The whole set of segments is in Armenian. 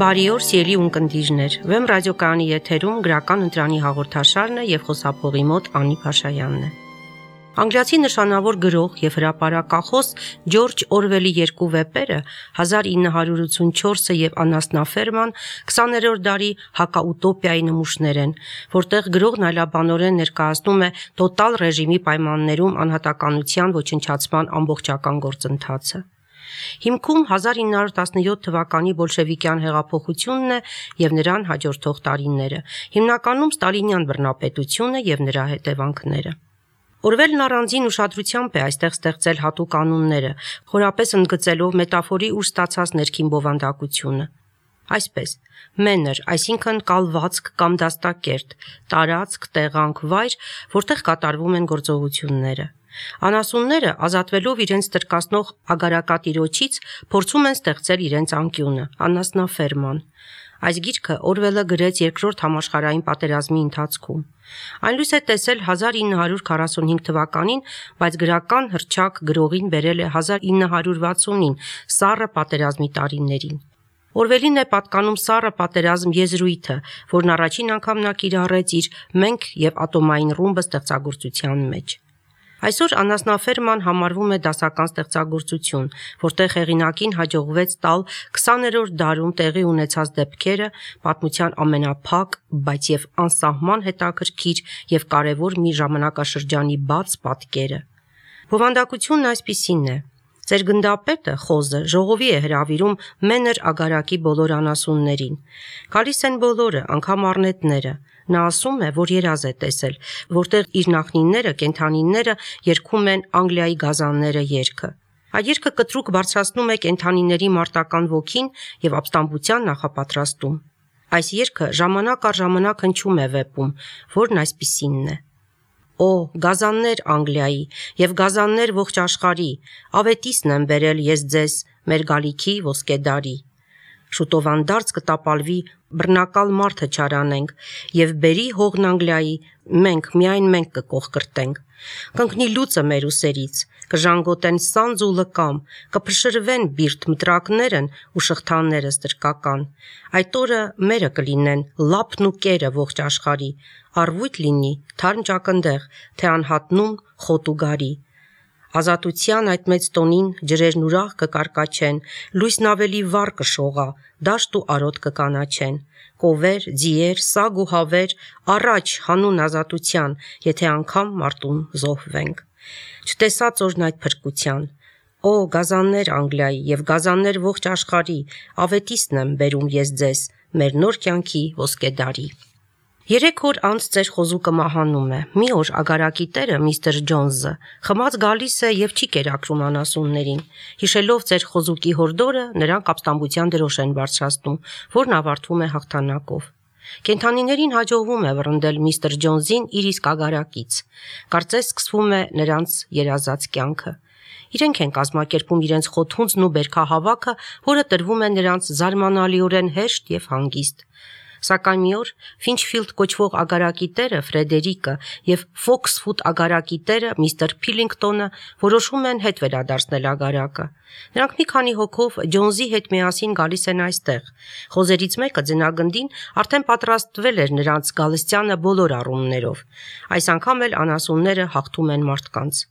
Բարի օր, սիրելի ունկնդիրներ։ Վեմ ռադիոկայանի եթերում գրական ընտրանի հաղորդաշարն է եւ խոսափողի մոտ Անի Փաշայանն է։ Անգլիացի նշանավոր գրող եւ հրապարակախոս Ջորջ Օրվելի երկու վեպերը 1984-ը եւ Անասնաֆերման 20-րդ դարի հակաուտոպիայի նմուշներ են, որտեղ գրողն այլաբանորեն ներկայացնում է տոտալ ռեժիմի պայմաններում անհատականության ոչնչացման ամբողջական գործընթացը։ Հիմքում 1917 թվականի բոլշևիկյան հեղափոխությունն է եւ նրան հաջորդող տարիները, հիմնականում ստալինյան բռնապետությունը եւ նրա հետևանքները։ Օրվելն առանձին ուշադրությամբ է այստեղ ստեղծել հատուկ անունները, խորապես ընդգծելով մետաֆորի ուժ ստացած ներքին բովանդակությունը։ Այսպես, մենր, այսինքն կալվածք կամ դաստակերտ, տարածք, տեղանք, վայր, որտեղ կատարվում են գործողությունները։ Անասունները, ազատվելով իրենց տրկացնող ագարակատիրոջից, փորձում են ստեղծել իրենց անկյունը, անասնաֆերման։ Այս գիրքը Օրվելը գրեց Երկրորդ համաշխարհային պատերազմի ընթացքում։ Այն լույս է տեսել 1945 թվականին, բայց գրական հռչակ գրողին բերել է 1960-ին, սառը պատերազմի տարիներին։ Օրվելին է պատկանում սառը պատերազմ եզրույթը, որն առաջին անգամ նա կիրառեց իր «Մենք եւ ատոմային ռումբը» ստեղծագործության մեջ։ Այսօր անասնաֆերման համարվում է դասական ստեղծագործություն, որտեղ հեղինակին հաջողվեց տալ 20-րդ դարում տեղի ունեցած դեպքերը, պատմության ամենափակ, բայց եւ անսահման հետաքրքիր եւ կարեւոր մի ժամանակաշրջանի բաց պատկերը։ Բովանդակությունն այսպիսին է. Ձեր գնդապետը, խոզը, ժողովի է հրավիրում մենր ագարակի բոլոր անասուններին։ Գալիս են բոլորը, անգամ առնետները։ Նա ասում է, որ երազ է տեսել, որտեղ իր նախնիները, կենդանիները երգում են Անգլիայի գազանները երգը։ Այդ երգը կտրուկ բարձրացնում է կենդանիների մարտական ոգին եւ ապստամբության նախապատրաստում։ Այս երգը ժամանակ առ ժամանակ հնչում է վեպում, որն այսպիսինն է. Օ, գազաններ Անգլիայի եւ գազաններ ողջ աշխարհի, ավետիսն եմ բերել ես ձեզ մեր գալիքի ոսկեդարի։ Շուտով անդարձ կտապալվի, բռնակալ մարդը չարանենք եւ բերի հողն Անգլիայի, միայն մենք կկողկրտենք։ Կընկնի լուծը մեր ուսերից, կժանգոտեն սանձ ու լկամ, կփշրվեն բիրտ մտրակներն ու շղթաները ստրկական։ Այդ օրը մերը կլինեն լապն ու կերը ողջ աշխարհի, առվույթ լինի թարմ ճակնդեղ, թե անհատնում խոտ ու գարի։ Ազատության այդ մեծ տոնին ջրերն ուրախ կկարկաչեն, լույսն ավելի վառ կշողա, դաշտ ու արոտ կկանաչեն։ Կովեր, ձիեր, սագ ու հավեր, առաջ հանուն ազատության, եթե անգամ մարտում զոհվենք։ Չտեսած օրն այդ փրկության։ Օ, գազաններ Անգլիայի եւ գազաններ ողջ աշխարհի, ավետիսն եմ բերում ես ձեզ մեր նոր կյանքի ոսկեդարի։ 3 օր անց ձեր խոզուկը մահանում է։ Մի օր ագարակի տերը միստր Ջոնսը խմած գալիս է եւ չի կերակրում անասուններին։ Հիշելով ձեր խոզուկի հորդորը, նրանք ապստամբության դրոշ են բարձրացնում, որն ավարտվում է հաղթանակով։ Կենդանիներին հաջողվում է վռնդել միստր Ջոնսին իր իսկ ագարակից։ Կարծես սկսվում է նրանց երազած կյանքը։ Իրենք են կազմակերպում իրենց խոթունձն ու բերքահավաքը, որը տրվում է նրանց զարմանալիորեն հեշտ եւ հանգիստ։ Սակայն մի օր Ֆինչֆիլդ կոչվող ագարակի տերը Ֆրեդերիկը եւ Ֆոքսֆուտ ագարակի տերը միստր Փիլինգտոնը որոշում են հետ վերադարձնել ագարակը։ Նրանք մի քանի հոգով Ջոնսի հետ միասին գալիս են այստեղ։ Խոզերից մեկը ձնագնդին արդեն պատրաստվել էր նրանց գալստյանը բոլոր առումներով։ Այս անգամ էլ անասունները հաղթում են մարդկանց։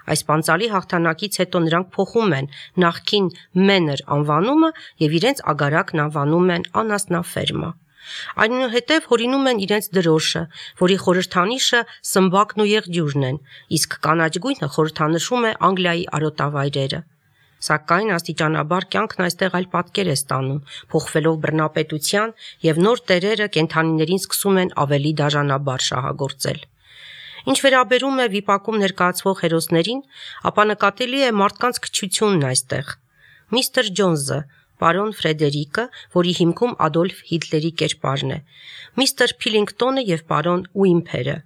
Այս պանծալի հաղթանակից հետո նրանք փոխում են նախքին մենր անվանումը եւ իրենց ագարակն անվանում են անասնաֆերմա։ Այնուհետև հորինում են իրենց դրոշը, որի խորհրդանիշը սմբակն ու եղջյուրն են, իսկ կանաչ գույնը խորհրդանշում է Անգլիայի արոտավայրերը։ Սակայն աստիճանաբար կյանքն այստեղ այլ պատկեր է ստանում, փոխվելով բռնապետության եւ նոր տերերը կենդանիներին սկսում են ավելի դաժանաբար շահագործել։ Ինչ վերաբերում է վիպակում ներկայացվող հերոսներին, ապա նկատելի է մարդկանց քչությունն այստեղ։ Միստր Ջոնսը, պարոն Ֆրեդերիկը, որի հիմքում Ադոլֆ Հիտլերի կերպարն է, միստր Փիլինգտոնը եւ պարոն Ուիմփերը։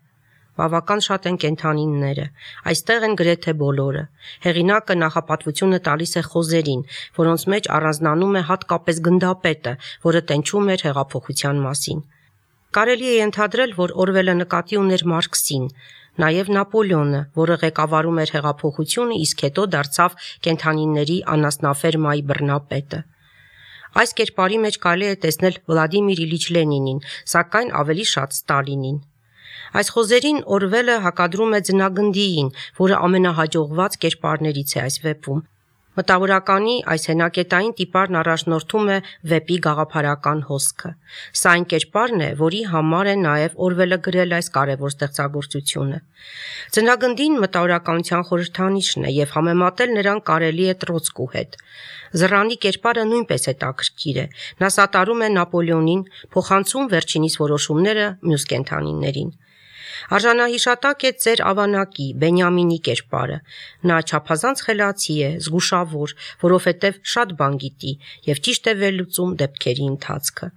Բավական շատ են կենդանիները, այստեղ են գրեթե բոլորը։ Հեղինակը նախապատվությունը տալիս է խոզերին, որոնց մեջ առանձնանում է հատկապես գնդապետը, որը տենչում էր հեղափոխության մասին։ Կարելի է ենթադրել, որ Օրվելը նկատի ուներ Մարքսին, նաև Նապոլեոնը, որը ղեկավարում էր հեղափոխությունը, իսկ հետո դարձավ կենդանիների անասնաֆերմայի բռնապետը։ Այս կերպարի մեջ կարելի է տեսնել Վլադիմիր Իլիչ Լենինին, սակայն ավելի շատ Ստալինին։ Այս խոզերին Օրվելը հակադրում է ձնագնդիին, որը ամենահաջողված կերպարներից է այս վեպում։ Մտավորականի այս հենակետային տիպարն առաջնորդում է վեպի գաղափարական հոսքը։ Սա այն կերպարն է, որի համար է նաև Օրվելը գրել այս կարևոր ստեղծագործությունը։ Ձնագնդին մտավորականության խորհրդանիշն է եւ համեմատել նրան կարելի է Տրոցկու հետ։ Զռանի կերպարը նույնպես հետաքրքիր է։ Նա սատարում է Նապոլեոնին, փոխանցում վերջինիս որոշումները մյուս կենդանիներին։ Արժանահիշատակ է ծեր ավանակի Բենյամինի կերպարը։ Նա չափազանց խելացի է, զգուշավոր, որովհետև շատ բան գիտի եւ ճիշտ է վերլուծում դեպքերի ընթացքը։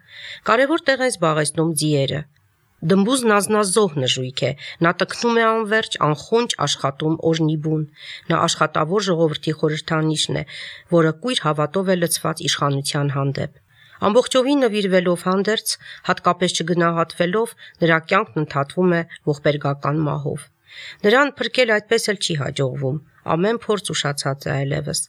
Կարևոր տեղ են զբաղեցնում ձիերը։ Դմբուզն ազնազոհ նժույգ է, նա տքնում է անverջ, անխոնջ աշխատում օրնիբուն։ Նա աշխատավոր ժողովրդի խորհրդանիշն է, որը կույր հավատով է լցված իշխանության հանդեպ։ Ամբողջովին նվիրվելով հանդերձ, հատկապես չգնահատվելով, նրա կյանքն ընդհատվում է ողբերգական մահով։ Նրան փրկել այդպես էլ չի հաջողվում, ամեն փորձ ուշացած է այլևս։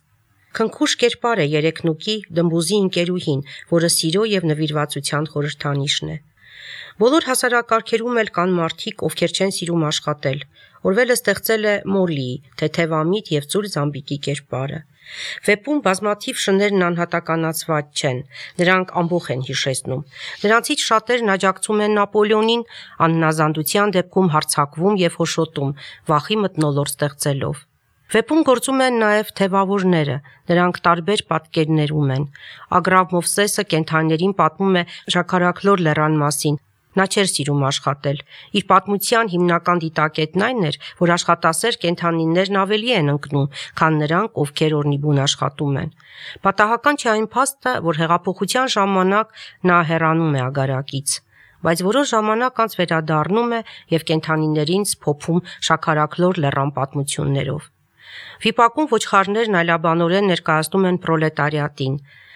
Քնքուշ կերպար է երեքնուկի դմբուզի ընկերուհին, որը սիրո եւ նվիրվածության խորհրդանիշն է։ Բոլոր հասարակարգերում էլ կան մարդիկ, ովքեր չեն սիրում աշխատել։ Օրվելը ստեղծել է Մոլլիի, թեթևամիտ եւ ծուր զամբիկի կերպարը։ Վեպում բազմաթիվ շներն անհատականացված չեն, նրանք ամբողջ են հիշեցնում։ Նրանցից շատերն աջակցում են Նապոլեոնին, անհնազանդության դեպքում հարձակվում եւ հոշոտում, վախի մթնոլորտ ստեղծելով։ Վեպում գործում են նաև թևավորները, նրանք տարբեր պատկերներում են։ Ագրավ Մովսեսը կենդանիներին պատմում է Ժաքարաքլոր լեռան մասին։ Նա չէր սիրում աշխատել։ Իր պատմության հիմնական դիտակետն այն էր, որ աշխատասեր կենդանիներն ավելի են ընկնում, քան նրանք, ովքեր օրնիբուն աշխատում են։ Պատահական չէ այն փաստը, որ հեղափոխության ժամանակ նա հեռանում է ագարակից, բայց որոշ ժամանակ անց վերադառնում է եւ կենդանիներին սփոփում Շաքարաքլոր լեռան պատմություններով։ Վիպակում ոչխարներն այլաբանորեն ներկայացնում են պրոլետարիատին։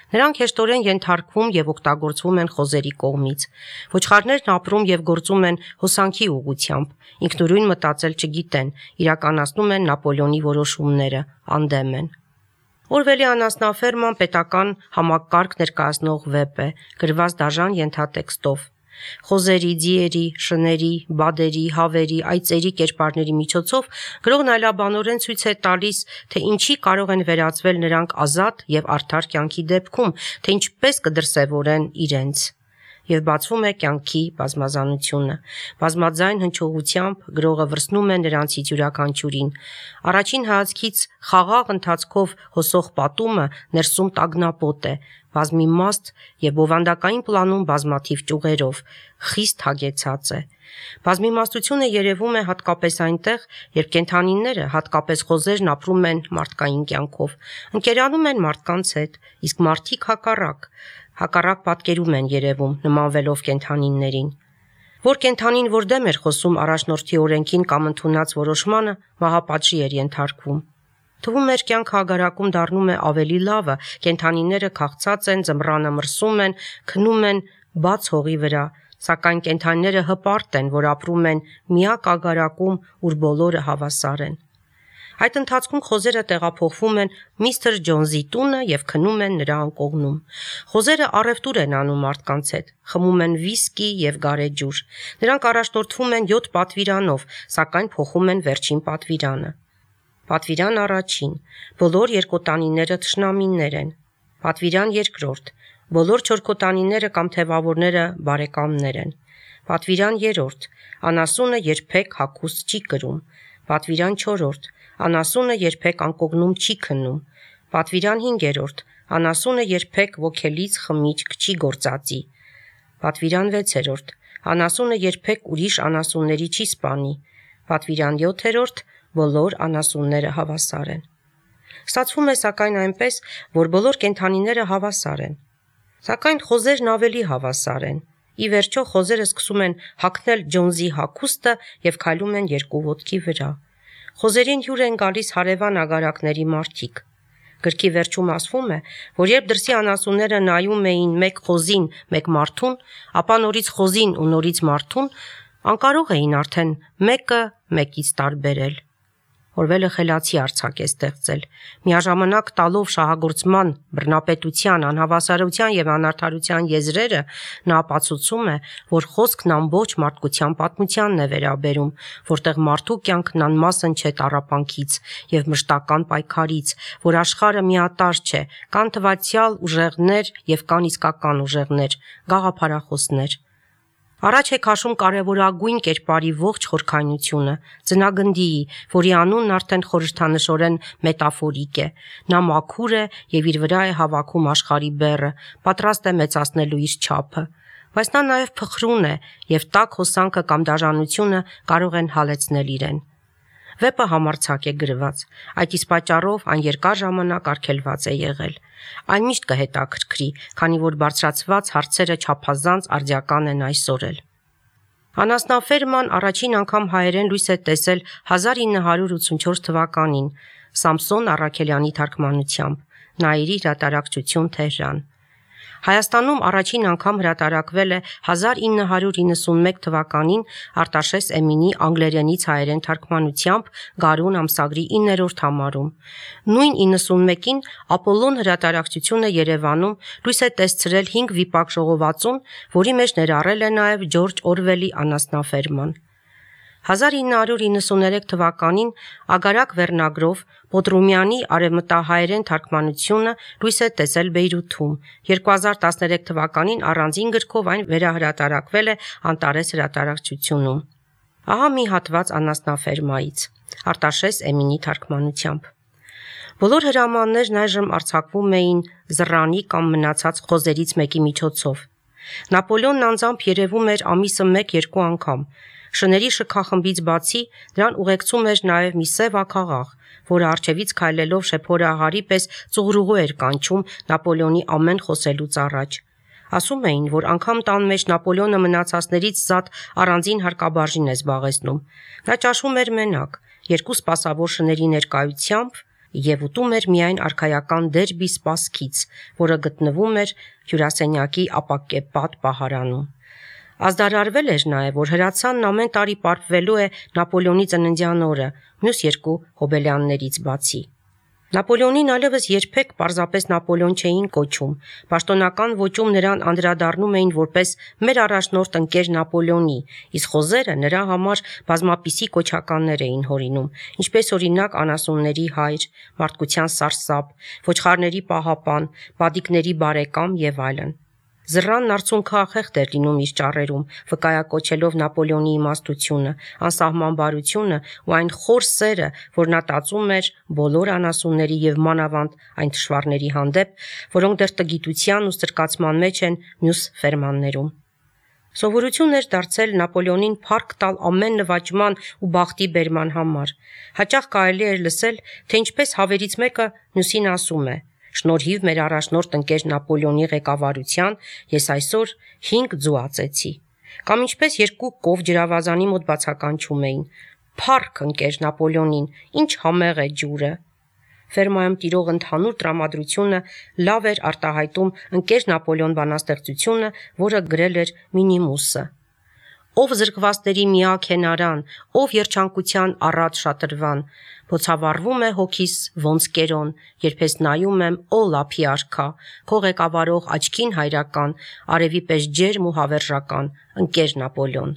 Նրանք հեշտորեն ենթարկվում եւ օգտագործվում են խոզերի կողմից։ Ոչխարներն ապրում եւ գործում են հոսանքի ուղղությամբ, ինքնուրույն մտածել չգիտեն, իրականացնում են Նապոլեոնի որոշումները, անդեմ են։ Օրվելի անասնաֆերման պետական համակարգ ներկայացնող վեպ է, գրված դաժան ենթատեքստով։ Խոզերի, ձիերի, շների, բադերի, հավերի, այծերի կերպարների միջոցով գրողն այլաբանորեն ցույց է տալիս, թե ինչի կարող են վերածվել նրանք ազատ եւ արդար կյանքի դեպքում, թե ինչպես կդրսևորեն իրենց։ Եվ բացվում է կյանքի բազմազանությունը։ Բազմաձայն հնչողությամբ գրողը վրցնում է նրանցից յուրաքանչյուրին։ Առաջին հայացքից խաղաղ ընթացքով հոսող պատումը ներսում տագնապոտ է, բազմիմաստ եւ բովանդակային պլանում բազմաթիվ ճյուղերով, խիստ հագեցած է։ Բազմիմաստությունը երևում է հատկապես այնտեղ, երբ կենդանիները, հատկապես խոզերն ապրում են մարդկային կյանքով, ընկերանում են մարդկանց հետ, իսկ մարդիկ հակառակ պատկերում են երևում, նմանվելով կենդանիներին։ Որ կենդանին, որ դեմ էր խոսում առաջնորդի օրենքին կամ ընդունած որոշմանը, մահապատժի էր ենթարկվում։ Թվում էր կյանքը ագարակում դառնում է ավելի լավը, կենդանիները քաղցած են, ձմռանը մրսում են, քնում են բաց հողի վրա, սակայն կենդանիները հպարտ են, որ ապրում են միակ ագարակում, ուր բոլորը հավասար են։ Այդ ընթացքում խոզերը տեղափոխվում են միստր Ջոնսի տունը եւ քնում են նրա անկողնում։ Խոզերը առևտուր են անում մարդկանց հետ, խմում են վիսկի եւ գարեջուր։ Նրանք առաջնորդվում են 7 պատվիրանով, սակայն փոխում են վերջին պատվիրանը։ Պատվիրան առաջին, բոլոր երկոտանիները թշնամիներ են։ Պատվիրան երկրորդ, բոլոր չորքոտանիները կամ թևավորները բարեկամներ են։ Պատվիրան երրորդ, անասունը երբեք հագուստ չի կրում։ Պատվիրան չորրորդ, անասունը երբեք անկողնում չի քնում։ Պատվիրան հինգերորդ, անասունը երբեք ոգելից խմիչք չի գործածի։ Պատվիրան վեցերորդ, անասունը երբեք ուրիշ անասունների չի սպանի։ Պատվիրան 7-րդ, բոլոր անասունները հավասար են։ Ստացվում է սակայն այնպես, որ բոլոր կենդանիները հավասար են։ Սակայն խոզերն ավելի հավասար են։ Ի վերջո խոզերը սկսում են հագնել Ջոնսի հագուստը եւ քայլում են երկու ոտքի վրա։ Խոզերին հյուր են գալիս հարևան ագարակների մարդիկ։ Գրքի վերջում ասվում է, որ երբ դրսի անասունները նայում էին մեկ խոզին, մեկ մարդուն, ապա նորից խոզին ու նորից մարդուն, անկարող էին արդեն մեկը մեկից տարբերել։ Օրվելը խելացի արձակ է ստեղծել։ Միաժամանակ տալով շահագործման, բռնապետության, անհավասարության եւ անարդարության եզրերը, նա ապացուցում է, որ խոսքն ամբողջ մարդկության պատմությանն է վերաբերում, որտեղ մարդու կյանքն անմասն չէ տառապանքից եւ մշտական պայքարից, որ աշխարհը միատարր չէ, կան թվացյալ ուժեղներ եւ կան իսկական ուժեղներ, գաղափարախոսներ։ Առաջ է քաշում կարևորագույն կերպարի ողջ խորքայնությունը, ծնագնդիի, որի անունն արդեն խորհրդանշորեն մետաֆորիկ է։ Նա մաքուր է եւ իր վրա է հավաքում աշխարհի բեռը, պատրաստ է մեծացնելու իր չափը։ Բայց նա նաեւ փխրուն է եւ տաք հոսանքը կամ դաժանությունը կարող են հալեցնել իրեն։ Վեպը համարձակ է գրված, այդ իսկ պատճառով այն երկար ժամանակ արգելված է եղել։ Այն միշտ կհետաքրքրի, քանի որ բարձրացված հարցերը չափազանց արդիական են այսօր էլ։ Անասնաֆերման առաջին անգամ հայերեն լույս է տեսել 1984 թվականին Սամսոն Առաքելյանի թարգմանությամբ, Նաիրի հրատարակչություն Թեհրան։ Հայաստանում առաջին անգամ հրատարակվել է 1991 թվականին Արտաշես Էմինի անգլերենից հայերեն թարգմանությամբ Գարուն ամսագրի 9-րդ համարում։ Նույն 91-ին Ապոլոն հրատարակչությունը Երևանում լույս է տեսրել 5 վիպակ ժողովածուն, որի մեջ ներառել է նաև Ջորջ Օրվելի Անասնաֆերման։ 1993 թվականին Ագարակ վերնագրով Պոտրումյանի արևմտահայերեն թարգմանությունը լույս է տեսել Բեյրութում։ 2013 թվականին առանձին գրքով այն վերահրատարակվել է Անտարես հրատարակչությունում։ Ահա մի հատված Անասնաֆերմայից, Արտաշես Էմինի թարգմանությամբ։ Բոլոր հրամաններն այժմ արձակվում էին զռանի կամ մնացած խոզերից մեկի միջոցով։ Նապոլեոնն անձամբ երևում էր ամիսը 1-2 անգամ։ Շների շքախմբից բացի նրան ուղեկցում էր նաև մի սև աքաղաղ, որը առջևից քայլելով շեփորահարի պես ծուղրուղու էր կանչում Նապոլեոնի ամեն խոսելուց առաջ։ Ասում էին, որ անգամ տան մեջ Նապոլեոնը մնացածներից զատ առանձին հարկաբաժին է զբաղեցնում։ Նա ճաշում էր մենակ, 2 սպասավոր շների ներկայությամբ եւ ուտում էր միայն արքայական դերբի սպասքից, որը գտնվում էր հյուրասենյակի ապակեպատ պահարանում։ Ազդարարվել էր նաև, որ հրացանն ամեն տարի պարփվելու է Նապոլեոնի ծննդյան օրը, մյուս 2 հոբելյաններից բացի։ Նապոլեոնին այլևս երբեք պարզապես Նապոլեոն չէին կոչում, պաշտոնական ոճում նրան անդրադառնում էին որպես մեր առաջնորդ ընկեր Նապոլեոնի, իսկ խոզերը նրա համար բազմապիսի կոչականներ էին հորինում, ինչպես օրինակ անասունների հայր, մարդկության սարսափ, ոչխարների պահապան, բադիկների բարեկամ եւ այլն։ Զռանն արցունքախեղդ էր լինում իր ճառերում, վկայակոչելով Նապոլեոնի իմաստությունը, անսահմանբարությունը ու այն խոր սերը, որ նա տածում էր բոլոր անասունների եւ մանավանդ այն թշվառների հանդեպ, որոնք դեռ տգիտության ու սրկացման մեջ են մյուս ֆերմաններում։ Սովորություն էր դարձել Նապոլեոնին փառք տալ ամեն նվաճման ու բախտի բերման համար։ Հաճախ կարելի էր լսել, թե ինչպես հավերից մեկը մյուսին ասում է. «Շնորհիվ մեր առաջնորդ ընկեր Նապոլեոնի ղեկավարության ես այսօր 5 ձու ածեցի»։ Կամ ինչպես 2 կով ջրավազանի մոտ բացականչում էին. «Փառք ընկեր Նապոլեոնին, ինչ համեղ է ջուրը»։ Ֆերմայում տիրող ընդհանուր տրամադրությունը լավ էր արտահայտում ընկեր Նապոլեոն բանաստեղծությունը, որը գրել էր Մինիմուսը։ Ով զրկվածների միակ հենարան, ով երջանկության առատ շատրվան, բոցավառվում է հոգիս ոնց կերոն, երբ ես նայում եմ օ լափի արքա, քո ղեկավարող աչքին հայրական, արևի պես ջերմ ու հավերժական, ընկեր Նապոլեոն,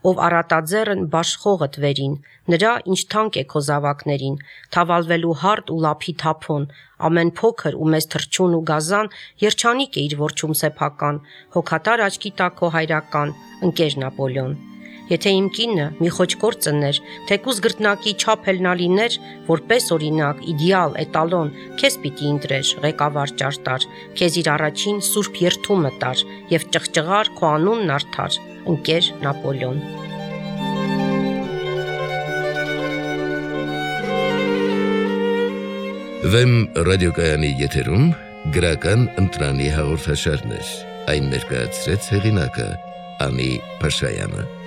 ով առատաձեռն բաշխողդ վերին, նրա ինչ թանկ է քո զավակներին, թավալվելու հարդ ու լափի թափոն, ամեն փոքր ու մեծ թրջուն ու գազան, երջանիկ է իր որջում սեփական, հոգատար աչքի տակ քո հայրական, ընկեր Նապոլեոն։ Եթե իմ կինը մի խոճկոր ծներ, թեկուզ գրտնակի չափ էլ նա լիներ, որպես օրինակ, իդեալ, էտալոն, քեզ պիտի ընտրեր, ղեկավար ճարտար, քեզ իր առաջին սուրբ երդումը տար եւ ճղճղար քո անունն արդար, ընկեր Նապոլեոն։ Վեմ ռադիոկայանի եթերում գրական ընտրանի հաղորդաշարներ, այն ներկայացրեց հեղինակը Անի Փաշայանը։